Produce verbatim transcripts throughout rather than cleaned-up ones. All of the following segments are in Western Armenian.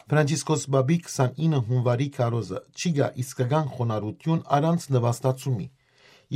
Ֆրանցիսկոս Պապի քսանինը հունուարի քարոզը չի գայ իսկական խոնարհութիւն առանց նուաստացումի։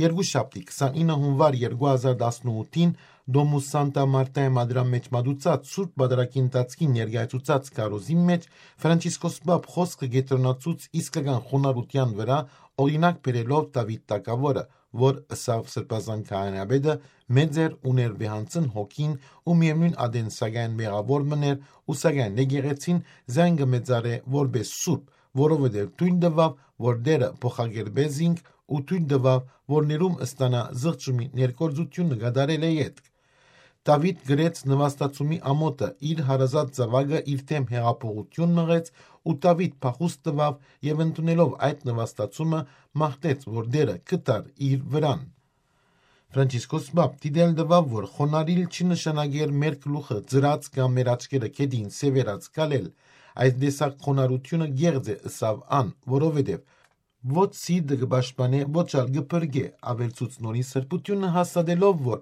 Երկուշաբթի քսանինը հունուար երկու հազար տասնութին Դոմուս Սանտա Մարտայ մադրան մէջ մատուցած Սուրբ Պատարագի ընթացքին ներկայացուցած քարոզին մէջ Ֆրանցիսկոս Պապ խօսքը կեդրոնացուց իսկական խոնարհութեան վրայ, օրինակ բերելով Դաւիթ թագաւորը, որ ըսաւ Սրբազան քահանայապետը, մեծ էր, ունէր վեհանցն հոգին ու միեւնոյն ատեն սակայն մեղաւոր մըն էր ու սակայն եկեղեցին զայն կը մեծարէ որպէս սուրբ, որովհետեւ թոյլ տուաւ, որ Տէրը փոխակերպէ զինք ու թոյլ տուաւ, որ ներում ստանայ զղջումի ներգործութիւնը կատարելէ ետք։ Դաւիթ գրեց նուաստացումի ամօթը, իր հարազատ զաւակը իր դէմ յեղափոխութիւն մղեց ու Դաւիթ փախուստ տուաւ եւ ընդունելով այդ նուաստացումը մաղթեց, որ Տէրը կը տար իր վրան։ Ֆրանցիսկոս Պապ դիտել տուաւ, որ խոնարհիլ չի նշանակեր մեր գլուխը ծրած կամ մեր աչքերը գետին սեւեռած քալել։ Այս տեսակ խոնարհութիւնը կեղծ է, ըսաւ ան, որովհետեւ ոչ սիրտը կը պաշտպանէ, ոչ ալ կը փրկէ, աւելցուց նորին սրբութիւնը հաստատելով, որ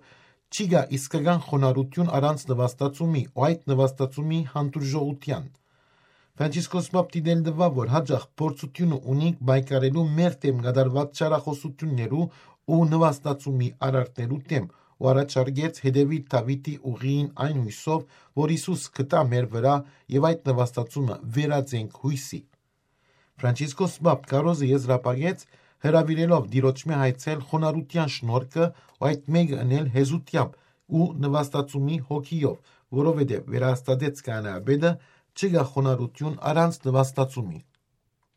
չի գայ իսկական խոնարհութիւն առանց նուաստացումի ու այդ նուաստացումի հանդուրժողութեան։ Ֆրանցիսկոս Պապ դիտել տուաւ, որ յաճախ փորձութիւնը ունինք պայքարելու մեր դէմ կատարուած չարախօսութիւններու ու նուաստացումի արարքներու դէմ ու առաջարկեց հետեւիլ Դաւիթի ուղիին այն յուսով, որ Յիսուս կտայ մեր վրայ եւ այդ նուաստացումը վերածենք յուսի։ Ֆրանցիսկոս Պապ քարոզը եզրափակեց, հրաւիրելով Տիրոջմէ հայցել խոնարհութեան շնորհքը ու այդ մէկը ընել հեզութեամբ ու նուաստացումի հոգիով, որովհետեւ վերահաստատեց քահանայապետը, չի գայ խոնարհութիւն առանց նուաստացումի։